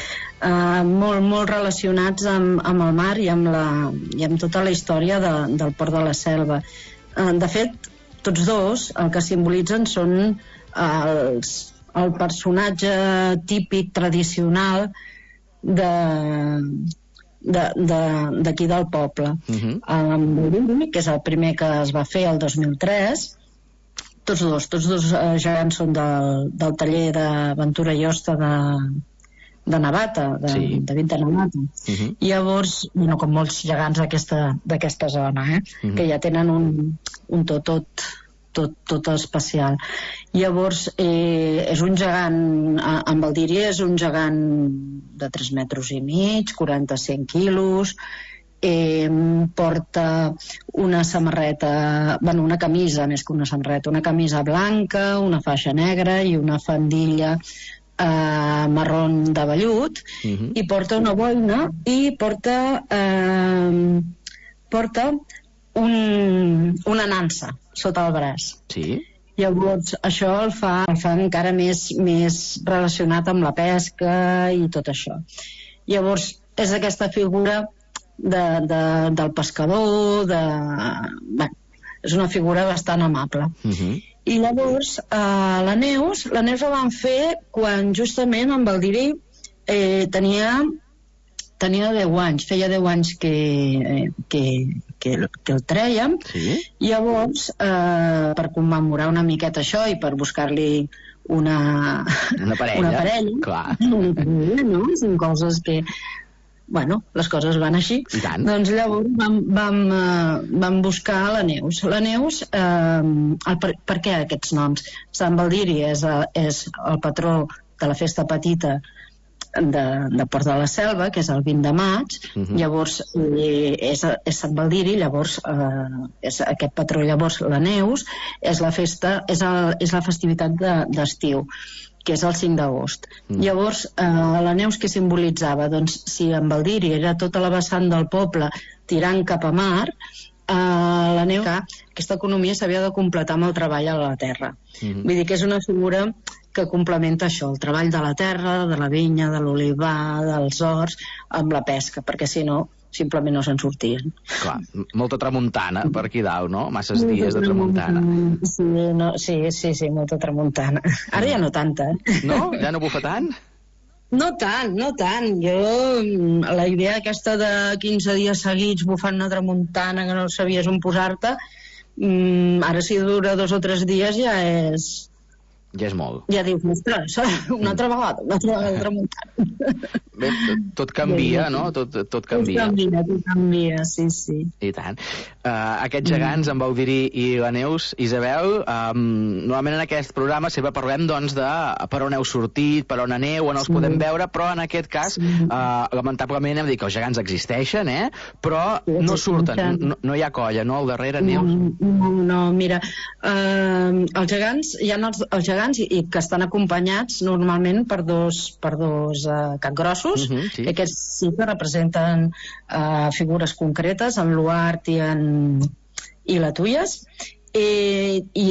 Molt relacionats amb el mar i amb tota la història del Port de la Selva. De fet, tots dos el que simbolitzen són el personatge típic, tradicional d'aquí del poble. El Baldiri, que és el primer que es va fer el 2003, tots dos gegants són del taller d'Aventura i Hosta de Navata, de Vint de Navata. Llavors, com molts gegants d'aquesta zona, que ja tenen un tot especial. Llavors, és un gegant, en Baldiri és un gegant de 3 metres i mig, 45 quilos, porta una samarreta, una camisa, més que una samarreta, una camisa blanca, una faixa negra i una faldilla marrón de vellut, i porta una boina i porta una nansa sota el braç. Sí. Llavors, això el fa encara més relacionat amb la pesca i tot això. Llavors, és aquesta figura del pescador, és una figura bastant amable. I llavors, la Neus la van fer quan justament en Baldiri tenia 10 anys, feia 10 anys que el trèiem. Llavors, per commemorar una miqueta això i per buscar-li una parella, no? Són coses que les coses van així. Doncs llavors vam buscar la Neus. La Neus, per què aquests noms? Sant Baldiri és el patró de la festa petita de Port de la Selva, que és el 20 de maig. Llavors és Sant Baldiri, llavors és aquest patró. Llavors la Neus és la festivitat d'estiu, que és el 5 d'agost. Llavors, la Neus què simbolitzava? Doncs si en Baldiri era tota la vessant del poble tirant cap a mar, la Neus, aquesta economia s'havia de completar amb el treball a la terra. Vull dir que és una figura que complementa això, el treball de la terra, de la vinya, de l'olivar, dels horts, amb la pesca, perquè si no simplement no se'n sortien. Clar, molta tramuntana per aquí dalt, no? Masses dies de tramuntana. Sí, molta tramuntana. Ara ja no tanta, No? Ja no bufa tant? No tant. Jo, la idea aquesta de 15 dies seguits bufant una tramuntana que no sabies on posar-te, ara si dura 2 o 3 dies ja és... Ja és molt. Ja dius, ostres, una altra vegada tramuntana. Bé, tot canvia, no? Tot canvia. Tot canvia, sí. I tant. Aquests gegants, en Baudiri i la Neus, Isabel, normalment en aquest programa sempre parlem doncs de per on heu sortit, per on aneu, on els podem veure, però en aquest cas, lamentablement hem dit que els gegants existeixen, però no surten, no hi ha colla, no? Al darrere, Neus? No, mira, els gegants, hi ha els gegants i que estan acompanyats normalment per dos capgrossos, sí. Que aquests sí que representen figures concretes, en l'Uart i la Tuyes, i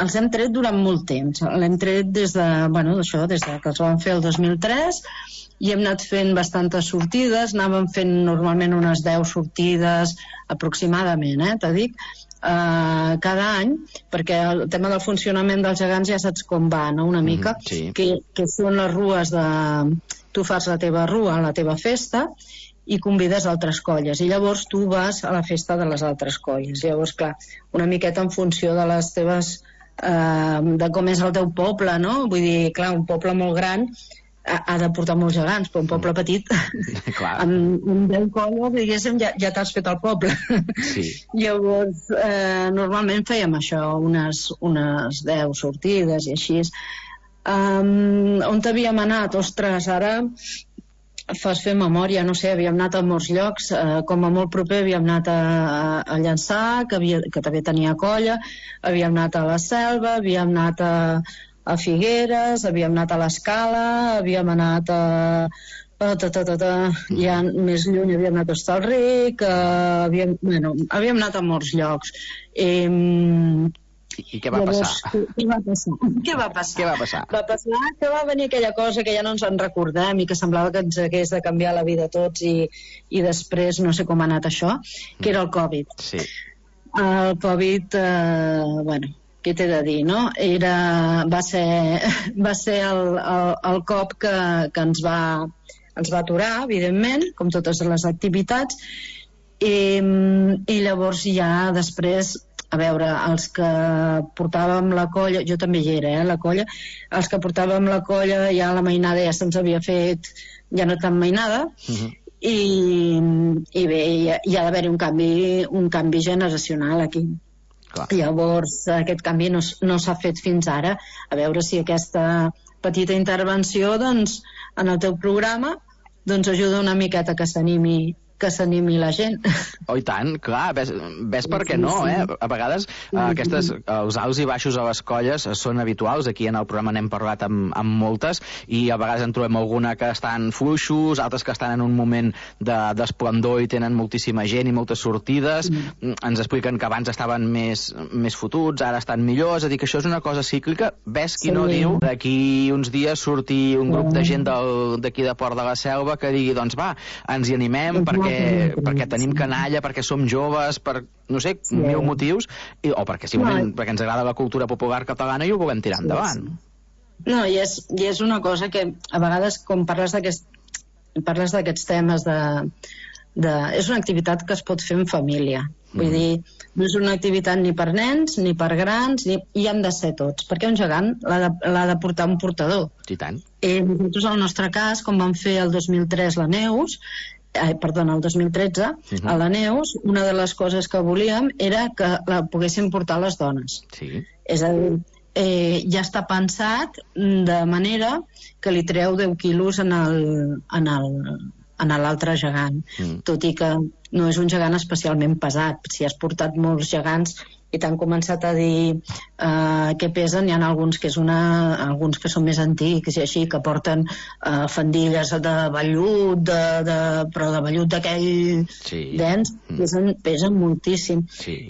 els hem tret durant molt temps. L'hem tret des de que els vam fer el 2003, i hem anat fent bastantes sortides, anàvem fent normalment unes 10 sortides aproximadament, t'ho dic, cada any, perquè el tema del funcionament dels gegants ja saps com va, no? Una mica, sí. que són les rues de... Tu fas la teva rua a la teva festa i convides altres colles, i llavors tu vas a la festa de les altres colles. Llavors, clar, una miqueta en funció de les teves... de com és el teu poble, no? Vull dir, clar, un poble molt gran ha de portar molts gegants, però un poble petit amb 10 colles, diguéssim, ja t'has fet el poble. Sí. Llavors, normalment fèiem això, unes 10 sortides i així. On havíem anat? Ostres, ara fas fer memòria, no sé, havíem anat a molts llocs, com a molt proper havíem anat a Llançà, que també tenia colla, havíem anat a la Selva, havíem anat a Figueres, havíem anat a l'Escala, havíem anat ja més lluny havíem anat a Hostalric, havíem anat a molts llocs. I què va passar? Què va passar? Va passar que va venir aquella cosa que ja no ens en recordem i que semblava que ens hagués de canviar la vida a tots, i després no sé com ha anat això, que era el Covid. Sí. El Covid, què t'he de dir, no? Va ser el cop que ens va aturar, evidentment, com totes les activitats, i llavors ja després, a veure, els que portàvem la colla, jo també hi era, la colla, els que portàvem la colla, ja la mainada ja se'ns havia fet, ja no tan mainada, i bé, hi ha d'haver-hi un canvi generacional aquí. Clar. Llavors aquest canvi no s'ha fet fins ara. A veure si aquesta petita intervenció, doncs, en el teu programa, doncs ajuda una miqueta que s'animi la gent. Oh, i tant, clar, ves per què no, A vegades els alts i baixos a les colles són habituals, aquí en el programa n'hem parlat amb moltes, i a vegades en trobem alguna que estan fluixos, altres que estan en un moment d'esplendor i tenen moltíssima gent i moltes sortides, ens expliquen que abans estaven més fotuts, ara estan millors, és a dir, que això és una cosa cíclica. Ves qui no diu d'aquí uns dies surti un grup de gent d'aquí de Port de la Selva que digui, doncs va, ens hi animem perquè tenim canalla, perquè som joves, per, no sé, mil motius, o perquè simplement perquè ens agrada la cultura popular catalana i ho volem tirar endavant. No, i és una cosa que a vegades, com parles d'aquests temes és una activitat que es pot fer en família. Vull dir, no és una activitat ni per nens, ni per grans, i hem de ser tots, perquè un gegant l'ha de portar un portador. I tant. Nosaltres, al nostre cas, com vam fer el 2003 el 2013, a la Neus, una de les coses que volíem era que la poguessin portar les dones. Sí. És a dir, ja està pensat de manera que li treu 10 quilos en l'altre gegant, tot i que no és un gegant especialment pesat. Si has portat molts gegants i t'han començat a dir què pesen, hi ha alguns que són més antics i així, que porten fandilles de vellut, però de vellut d'aquell dens, pesen moltíssim.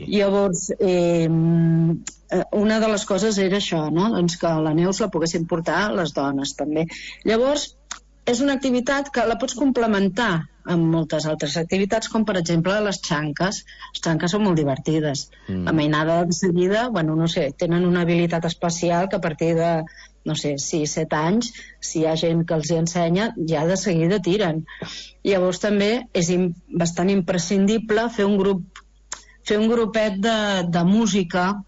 Llavors, una de les coses era això, no? Doncs que la Neus la poguessin portar les dones també. Llavors, és una activitat que la pots complementar amb moltes altres activitats, com per exemple les xanques. Les xanques són molt divertides. La mainada de seguida, bueno, no sé, tenen una habilitat especial que a partir de, no sé, 6-7 anys, si hi ha gent que els hi ensenya, ja de seguida tiren. Llavors també és bastant imprescindible fer un grupet de música,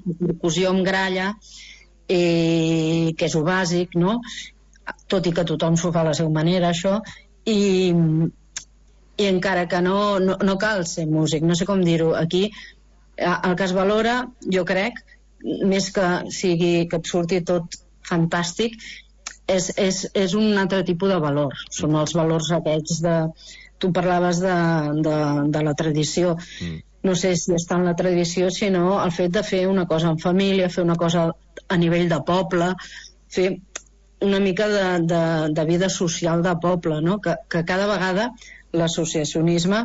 percussió amb gralla, que és el bàsic, no? Tot i que tothom s'ho fa a la seva manera, això, i encara que no cal ser músic, no sé com dir-ho, aquí el que es valora, jo crec, més que sigui que et surti tot fantàstic, és un altre tipus de valor, són els valors aquests de... Tu parlaves de la tradició, no sé si està en la tradició, sinó el fet de fer una cosa en família, fer una cosa a nivell de poble, fer una mica de vida social de poble, no? Que cada vegada l'associacionisme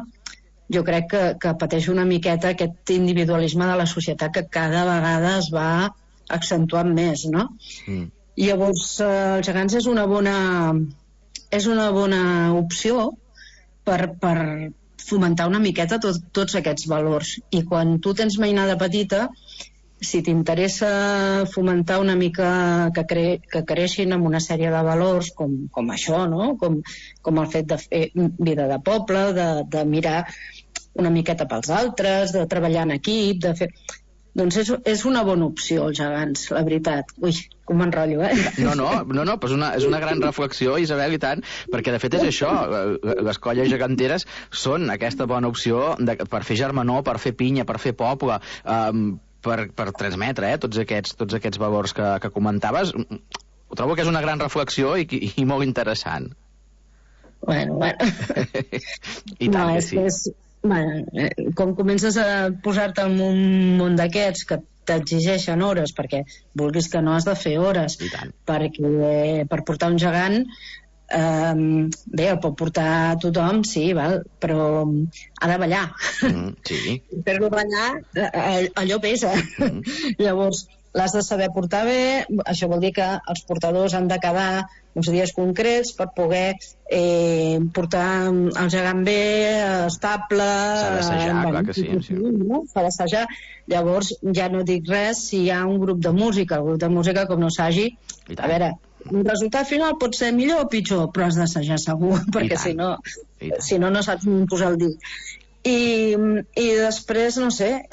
jo crec que pateix una miqueta aquest individualisme de la societat que cada vegada es va accentuant més, no? Llavors els gegants és una bona opció per fomentar una miqueta tots aquests valors, i quan tu tens mainada petita, si t'interessa fomentar una mica que creixin amb una sèrie de valors com això, no? Com el fet de fer vida de poble, de mirar una miqueta pels altres, de treballar en equip, de fer... Doncs és una bona opció, els gegants, la veritat. Ui, com m'enrotllo, No, però és una gran reflexió, Isabel, i tant, perquè de fet és això, les colles geganteres són aquesta bona opció per fer germanor, per fer pinya, per fer poble, per transmetre tots aquests valors que comentaves. Ho trobo que és una gran reflexió i molt interessant. Bueno. I tant que sí. Com comences a posar-te en un món d'aquests que t'exigeixen hores, perquè vulguis que no has de fer hores, perquè per portar un gegant bé, el pot portar tothom, sí, val, però ha de ballar. Sí. Per-lo ballar allò pesa. Llavors l'has de saber portar bé, això vol dir que els portadors han de quedar uns dies concrets per poder portar el gegant bé, estable. S'ha d'assajar, clar que sí. S'ha d'assajar. Llavors ja no dic res si hi ha un grup de música. El grup de música, com no s'hagi, a veure, el resultat final pot ser millor o pitjor, però has d'assajar segur, perquè si no saps posar el dit. I després, no sé,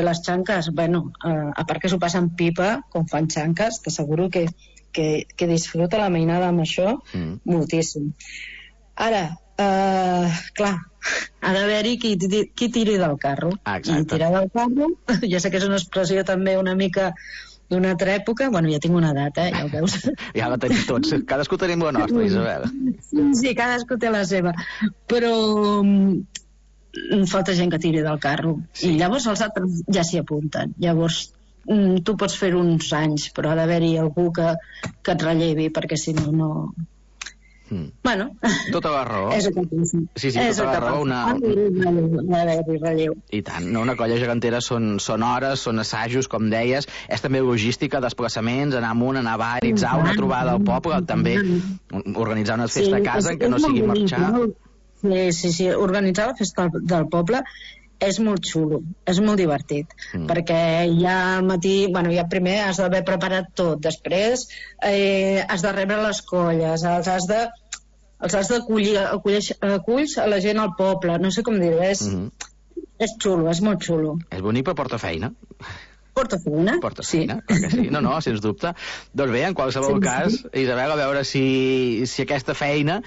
les xanques, bueno, a part que s'ho passen pipa com fan xanques, t'asseguro que disfruta la mainada amb això moltíssim. Ara, clar, ha d'haver-hi qui tiri del carro. I tirar del carro, ja sé que és una expressió també una mica d'una altra època, bueno, ja tinc una edat, ja ho veus. Ja la tenim tots, cadascú tenim la nostra, Isabel. Sí, cadascú té la seva, però falta gent que tiri del carro, i llavors els altres ja s'hi apunten. Llavors tu pots fer uns anys, però ha d'haver-hi algú que et rellevi, perquè si no... Bueno, tota la raó. Sí, tota la raó. I tant, una colla gegantera són hores, són assajos, com deies, és també logística, desplaçaments, anar amunt, anar a baritzar, una trobada al poble, també organitzar una festa a casa en què no sigui marxar. Sí, organitzar la festa del poble és molt xulo, és molt divertit, perquè ja al matí, bueno, ja primer has d'haver preparat tot, després has de rebre les colles, els has d'acollir aculls a la gent al poble, no sé com dir-ho, és xulo, és molt xulo. És bonic, però porta feina. Porta feina, sí. Clar que sí. No, sens dubte. Doncs bé, en qualsevol cas, Isabel, a veure si aquesta feina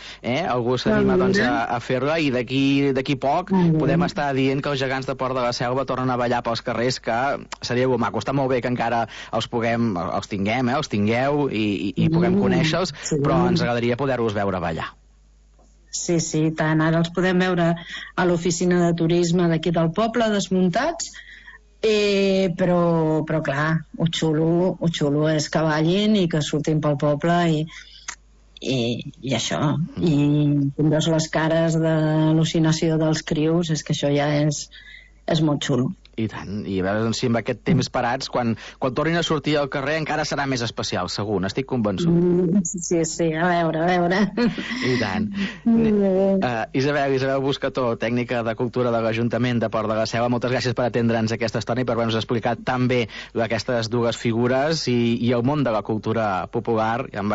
algú s'anima a fer-la, i d'aquí poc podem estar dient que els gegants de Port de la Selva tornen a ballar pels carrers, que seria molt maco. Està molt bé que encara els tingueu i puguem conèixer-los, però ens agradaria poder-los veure ballar. Sí, tant. Ara els podem veure a l'oficina de turisme d'aquí del poble, desmuntats, però clar, ho xulo és que ballin i que surtin pel poble i això, i veus les cares d'al·lucinació dels crios, és que això ja és molt xulo. I tant, i a veure si amb aquest temps parats, quan tornin a sortir al carrer encara serà més especial, segur, n'estic convençut. Sí, a veure. I tant. Isabel Buscató, tècnica de cultura de l'Ajuntament de Port de la Selva, moltes gràcies per atendre'ns aquesta estona i per haver-nos explicat tan bé aquestes dues figures i el món de la cultura popular, amb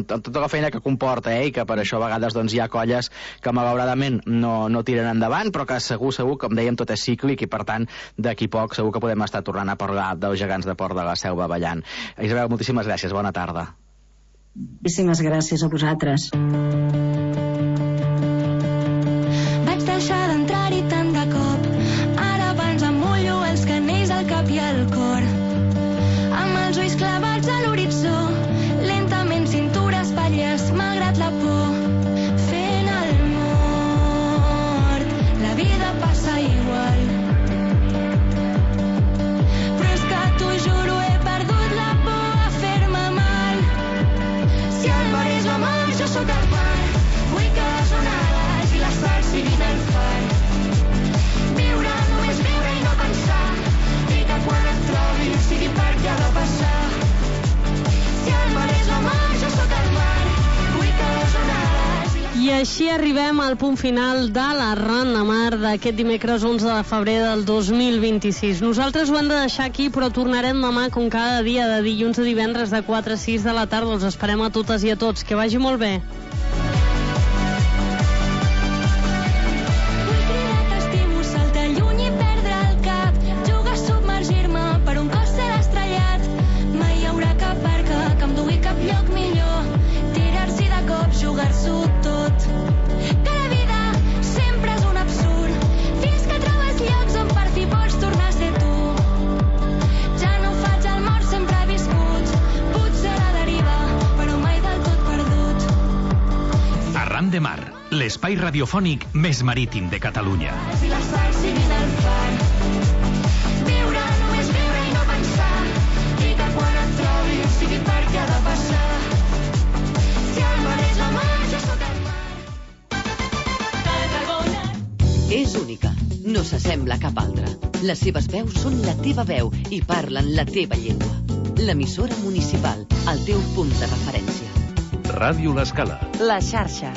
tota la feina que comporta, i que per això a vegades hi ha colles que malauradament no tiren endavant, però que segur, com dèiem, tot és cíclic i per tant d'aquí poc segur que podem estar tornant a parlar dels gegants de Port de la Selva ballant. Isabel, moltíssimes gràcies, bona tarda. Moltíssimes gràcies a vosaltres. Vaig deixar d'entrar-hi tant de cop, ara abans em mullo els canells al cap i al cor, amb els ulls clavats a l'horitzó, lentament cintura espatlles malgrat la por, fent el mort, la vida passa igual. Sóc el mar, vull que les onades i les sals siguin el far. Viure, només viure i no pensar, i que quan et trobi sigui perquè ha de passar. Si el mar és la mar, jo sóc el mar, vull que les onades... I així arribem al punt final de l'Arran de Mar d'aquest dimecres 11 de febrer del 2026. Nosaltres ho hem de deixar aquí, però tornarem demà com cada dia, de dilluns a divendres de 4 a 6 de la tarda. Els esperem a totes i a tots. Que vagi molt bé. Vull cridar que estimo, saltar lluny i perdre el cap, jugar a submergir-me per un cos ser estrellat. Mai hi haurà cap barca que em dugui cap lloc millor, tirar-s'hi de cop, jugar-s'ho tot. Que la vida sempre és un absurd, fins que trobes llocs on per fi pots tornar a ser tu. Ja no faig el mort, sempre he viscut, potser a la deriva, però mai del tot perdut. Arran de Mar, l'espai radiofònic més marítim de Catalunya. Si les sals siguin el far, viure, només viure i no pensar, i que quan et trobi sigui perquè ha de passar. Si el mar és la mar, jo sóc el mar. És única, no s'assembla a cap altra. Les seves veus són la teva veu i parlen la teva llengua. L'emissora municipal, el teu punt de referència. Ràdio L'Escala. La xarxa.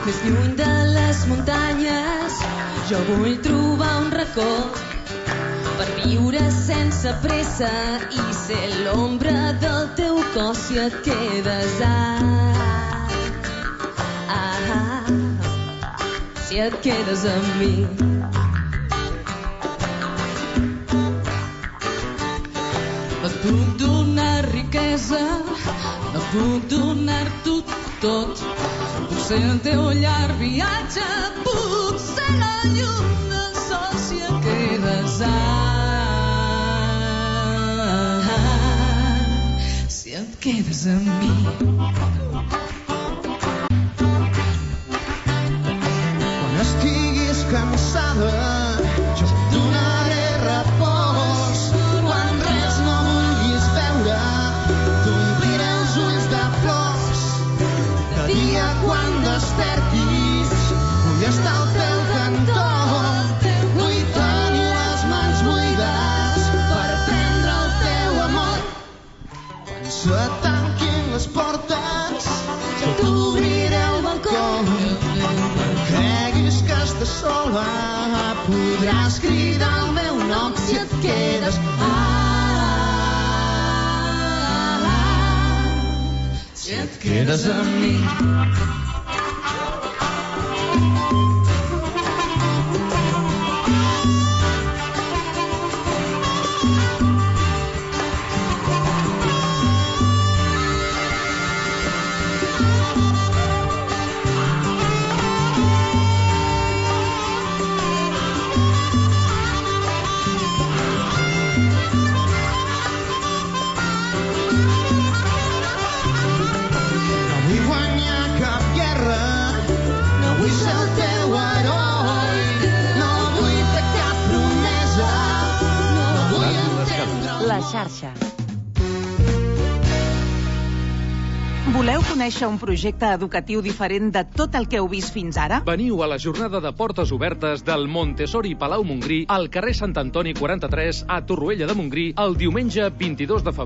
Més lluny de les muntanyes, jo vull trobar un racó per viure sense pressa i ser l'ombra del teu cos si et quedes si et quedes amb mi. No et puc donar riquesa, no et puc donar-t'ho tot. Potser el teu llarg viatge, potser la llum del sol si et quedes si et quedes amb mi. Quan estiguis cansada, jo et donaré repòs. Quan res no vulguis veure, t'ompliré els ulls de flors. De dia quan despertis, vull estar al teu cantó. Vull tenir les mans buides per prendre el teu amor. Quan se tanquin les portes, jo t'obriré el balcó. Creguis que estàs sola, podràs cridar el meu nom si et quedes si et quedes amb mi. La xarxa. Voleu conèixer un projecte educatiu diferent de tot el que heu vist fins ara? Veniu a la jornada de portes obertes del Montessori Palau Montgrí al carrer Sant Antoni 43 a Torroella de Montgrí el diumenge 22 de febrer